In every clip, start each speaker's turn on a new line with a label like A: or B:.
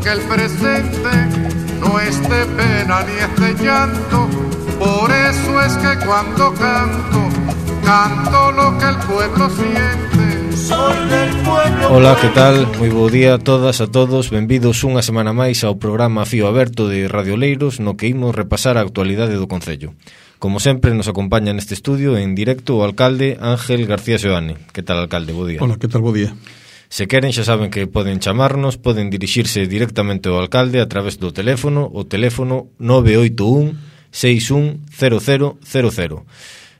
A: que el presente no es de pena ni es de llanto. Por eso es que cuando canto, canto lo que el pueblo siente. Soy del pueblo.
B: Ola, que tal? Moi bo día a todas, a todos. Benvidos unha semana máis ao programa Fío Aberto de Radio Oleiros, no que imos repasar a actualidade do Concello. Como sempre, nos acompaña neste estudio en directo o alcalde Ángel García Seoane. Que tal, alcalde? Bo día.
C: Hola, que tal? Bo día.
B: Se queren, xa saben que poden chamarnos, poden dirixirse directamente ao alcalde a través do teléfono, o teléfono 981 610000.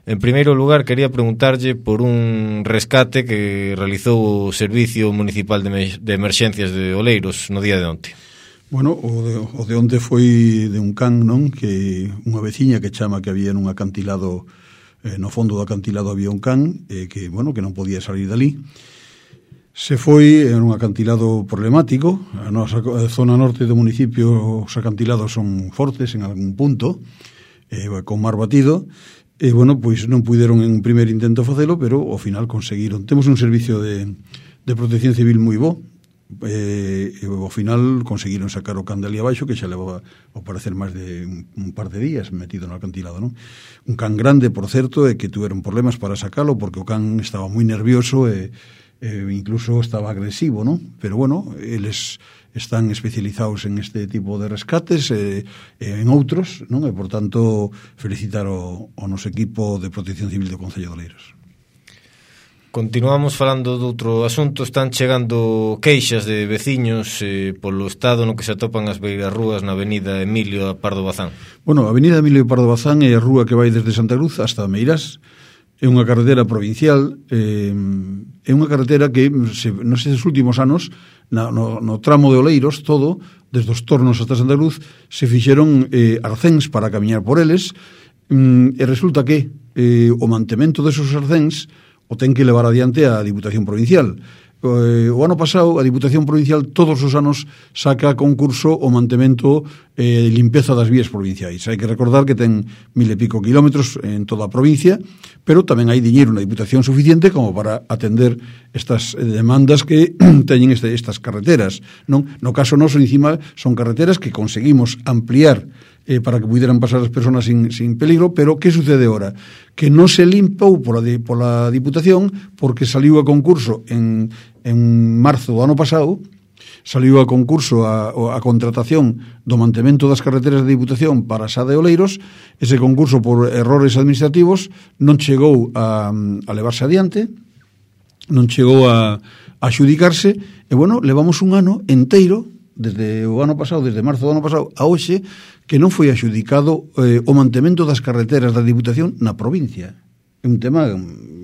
B: En primeiro lugar, quería preguntarlle por un rescate que realizou o Servicio Municipal de Emerxencias de Oleiros no día de onte.
C: Bueno, o de onte foi de un can, non? Que unha veciña que chama que había nun acantilado, no fondo do acantilado había un can, que, bueno, que non podía salir dali. Se foi en un acantilado problemático. A nosa zona norte do municipio, os acantilados son fortes en algún punto, con mar batido, e, bueno, pois non puideron en un primer intento facelo, pero ao final conseguiron. Temos un servicio de protección civil moi bo, e ao final conseguiron sacar o can de ali abaixo, que xa levaba ao parecer máis de un par de días metido no acantilado, non? Un can grande, por certo, e que tuveron problemas para sacalo, porque o can estaba moi nervioso e incluso estaba agresivo, non? Pero bueno, eles están especializados en este tipo de rescates e en outros, non? E por tanto felicitar o noso equipo de protección civil do Concello de Oleiros.
B: Continuamos falando de outro asunto. Están chegando queixas de veciños polo estado no que se atopan as beirarrúas na avenida Emilio Pardo Bazán. Bueno,
C: a avenida Emilio Pardo Bazán é a rúa que vai desde Santa Cruz hasta Meirás. É unha carretera provincial, é unha carretera que nestes últimos anos, no tramo de Oleiros, todo, desde os Tornos hasta Santa Cruz, se fixeron arcéns para camiñar por eles, e resulta que o mantemento desos arcéns o ten que levar adiante a Diputación Provincial. O ano pasado a Diputación Provincial todos os anos saca a concurso o mantemento e limpeza das vías provinciais. Hai que recordar que ten 1000 e pico kilómetros en toda a provincia, pero tamén hai diñeiro na Diputación suficiente como para atender estas demandas que teñen estas carreteras, non? No caso noso, encima, son carreteras que conseguimos ampliar para que pudieran pasar as persoas sin peligro, pero que sucede ahora? Que non se limpou pola Diputación porque saliu a concurso en marzo do ano pasado, saliu a concurso a contratación do mantemento das carreteras da Diputación para a Sa de Oleiros. Ese concurso, por errores administrativos, non chegou a levarse adiante, non chegou a adxudicarse, e, bueno, levamos un ano enteiro, desde o ano pasado, desde marzo do ano pasado a hoxe, que non foi adxudicado o mantemento das carreteras da Diputación na provincia. É un tema,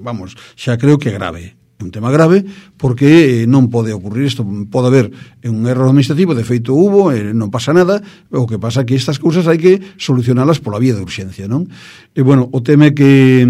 C: vamos, xa creo que grave. Un tema grave porque non pode ocurrir isto. Pode haber un erro administrativo, de feito hubo, non pasa nada. O que pasa é que estas cousas hai que solucionalas pola vía de urxencia, non? E, bueno, o tema é que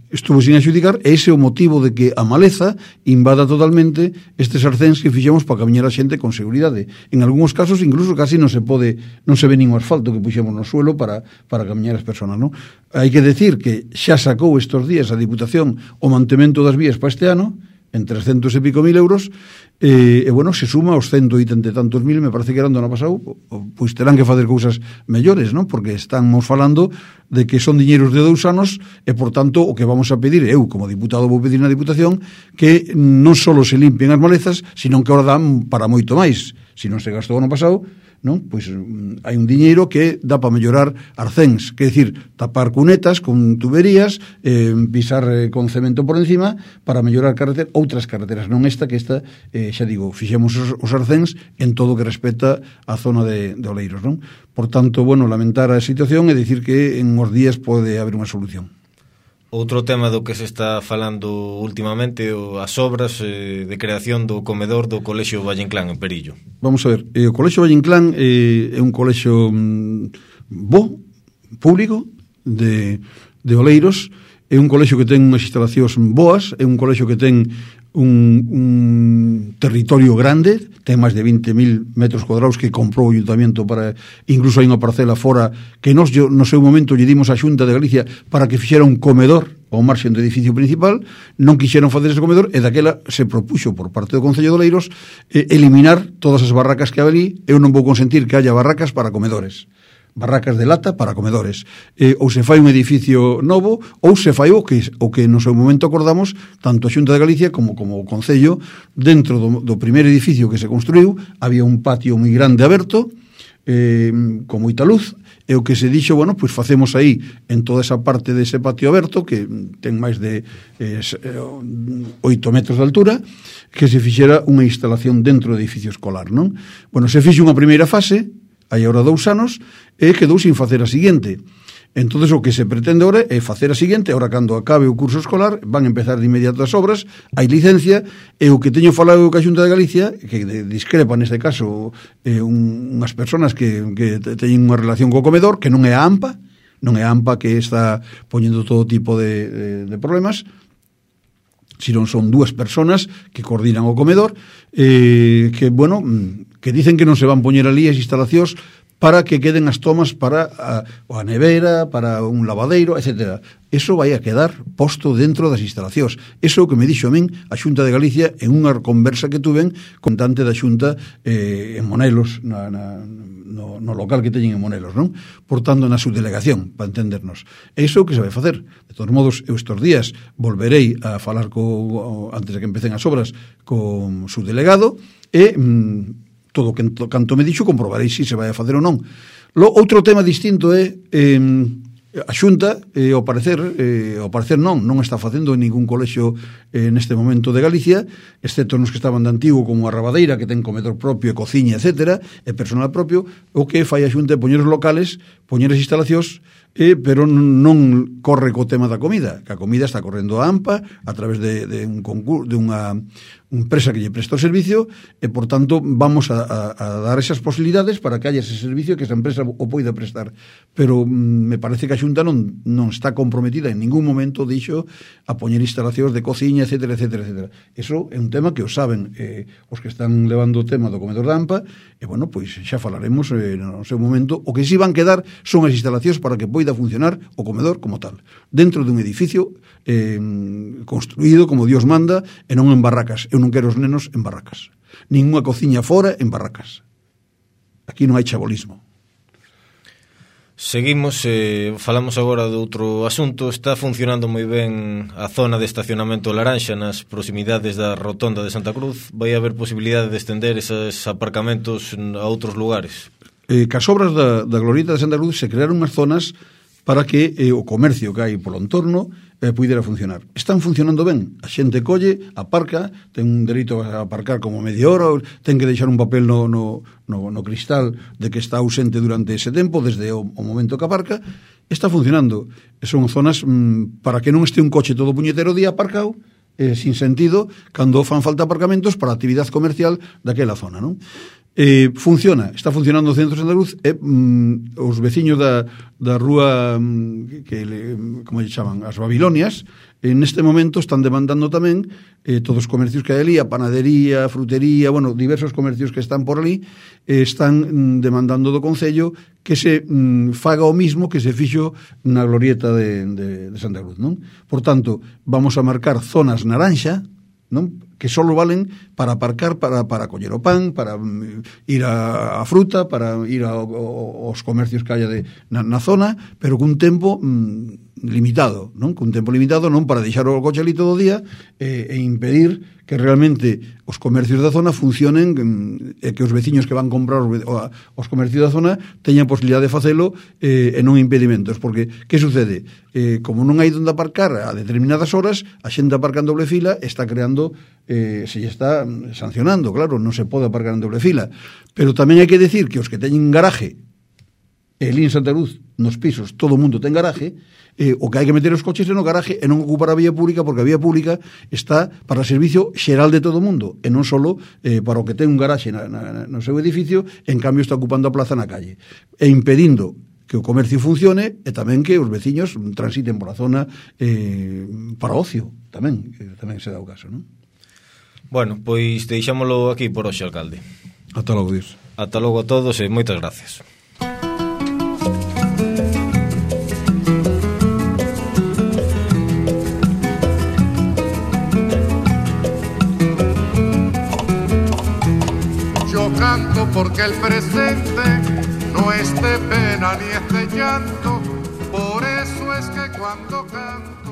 C: estuvo sin adxudicar, e ese é o motivo de que a maleza invada totalmente estes arcéns que fixemos para camiñar a xente con seguridade. En algúns casos incluso casi non se ve nin o asfalto que puxemos no suelo para camiñar as persoas, non? Hai que decir que xa sacou estes días a Diputación o mantemento das vías para este ano en 300 e pico mil euros, e, bueno, se suma aos 180 e tantos mil, me parece que eran do ano pasado, pois terán que facer cousas mellores, non? Porque estamos falando de que son diñeiros de 2 anos, e, por tanto, o que vamos a pedir, eu, como diputado, vou pedir na Diputación, que non só se limpien as malezas, sino que ahora dan para moito máis. Se non se gastou o ano pasado, non? Pois hai un diñeiro que dá para mellorar arcéns, que é dicir, tapar cunetas con tuberías, pisar con cemento por encima para mellorar outras carreteras, non esta, que esta, xa digo, fixemos os arcéns en todo o que respecta á zona de Oleiros, non? Por tanto, bueno, lamentar a situación e dicir que en uns días pode haber unha solución.
B: Outro tema do que se está falando últimamente, as obras de creación do comedor do Colexio Valle Inclán en Perillo.
C: Vamos a ver, o Colexio Valle Inclán é un colexio bo, público, de Oleiros. É un colexio que ten unhas instalacións boas, é un colexio que ten un territorio grande, ten máis de 20.000 metros cuadrados que comprou o Ayuntamiento para, incluso hai unha parcela fora que nos no seu momento lle dimos a Xunta de Galicia para que fixera un comedor ao marxen do edificio principal, non quixeron facer ese comedor e daquela se propuxo por parte do Concello de Oleiros eliminar todas as barracas que había ali. Eu non vou consentir que haya barracas para comedores, barracas de lata para comedores, ou se fai un edificio novo ou se fai o que no seu momento acordamos tanto a Xunta de Galicia como o Concello. Dentro do primeiro edificio que se construiu había un patio moi grande aberto con moita luz, e o que se dixo, bueno, pois facemos aí en toda esa parte dese patio aberto que ten máis de 8 metros de altura, que se fixera unha instalación dentro do edificio escolar, non? Bueno, se fixe unha primeira fase hai agora 2 anos, e quedou sin facer a seguinte. Entonces o que se pretende agora é facer a seguinte. Agora, cando acabe o curso escolar, van a empezar de inmediato as obras, hai licencia, e o que teño falado ca Xunta de Galicia, que discrepa neste caso unhas persoas que teñen unha relación co comedor, que non é a AMPA, que está poñendo todo tipo de problemas, sino son 2 persoas que coordinan o comedor, que, bueno, que dicen que non se van poñer ali as instalacións para que queden as tomas para a nevera, para un lavadeiro, etc. Eso vai a quedar posto dentro das instalacións. Eso é o que me dixo a min a Xunta de Galicia en unha conversa que tuven con tante da Xunta en Monelos, no local que teñen en Monelos, non? Portando na subdelegación, para entendernos. É iso que se vai facer. De todos modos, eu estes días volverei a falar antes de que empecen as obras con subdelegado, e todo canto me dixo comprobarei se vai a facer ou non. Outro tema distinto é a Xunta, ao parecer non está facendo en ningún colexio neste momento de Galicia, excepto nos que estaban de antigo, como a Rabadeira, que ten comedor propio e cociña, etc., e personal propio. O que fai a Xunta é poñer os locales, poñer as instalacións, pero non corre co tema da comida, que a comida está correndo a AMPA a través de un concurso, de unha empresa que lle presta o servicio, e, por tanto, vamos a dar esas posibilidades para que haya ese servicio, que esa empresa o poida prestar. Pero me parece que a Xunta non está comprometida en ningún momento, dixo, a poñer instalacións de cociña, etc., etc., etc. Eso é un tema que o saben os que están levando o tema do comedor da AMPA, e, bueno, pois xa falaremos no seu momento. O que si van quedar son as instalacións para que poida funcionar o comedor como tal, dentro dun edificio construído como Dios manda, e non en barracas. Eu non quero os nenos en barracas, nin unha cociña fora en barracas. Aquí non hai chabolismo.
B: Seguimos, falamos agora de outro asunto. Está funcionando moi ben a zona de estacionamento Laranxa nas proximidades da Rotonda de Santa Cruz. Vai haber posibilidade de estender esos aparcamentos a outros lugares?
C: Cas obras da Glorieta de Santa Cruz se crearon unhas zonas para que o comercio que hai polo entorno pudera funcionar. Están funcionando ben. A xente colle, aparca, ten un dereito a aparcar como media hora, ten que deixar un papel no cristal de que está ausente durante ese tempo, desde o momento que aparca. Está funcionando. Son zonas para que non este un coche todo puñetero día aparcado, sin sentido, cando fan falta aparcamentos para a actividade comercial daquela zona, non? Funciona, está funcionando o centro de Santa Cruz, os veciños da rúa como lle chaman, as Babilonias, neste momento están demandando tamén todos os comercios que hai ali, a panadería, a frutería, bueno, diversos comercios que están por ali, están demandando do Concello que se faga o mismo que se fixo na Glorieta de Santa Cruz, non? Por tanto, vamos a marcar zonas naranxa, non? Que só valen para aparcar, para coller o pan, para ir a fruta, para ir aos comercios que haya na zona, pero cun tempo limitado, non? Cun tempo limitado, non para deixar o coche ali todo o día e impedir que realmente os comercios da zona funcionen, e que os veciños que van comprar os comercios da zona teñan posibilidade de facelo e non impedimentos, porque que sucede? Como non hai onde aparcar a determinadas horas, a xente aparca en doble fila, está creando, se lle está sancionando, claro, non se pode aparcar en doble fila. Pero tamén hai que decir que os que teñen garaje, el en Santa Cruz, nos pisos, todo o mundo ten garaje, o que hai que meter os coches no garaje e non ocupar a vía pública, porque a vía pública está para o servicio xeral de todo o mundo, e non só para o que ten un garaxe no seu edificio, en cambio está ocupando a plaza na calle, e impedindo que o comercio funcione, e tamén que os veciños transiten por a zona para ocio, tamén se dá o caso, non?
B: Bueno, pois deixámolo aquí por hoxe, alcalde.
C: Ata logo, Dios.
B: Ata logo a todos e moitas gracias.
A: Yo canto porque el presente no es de pena ni es de llanto, por eso es que cuando canto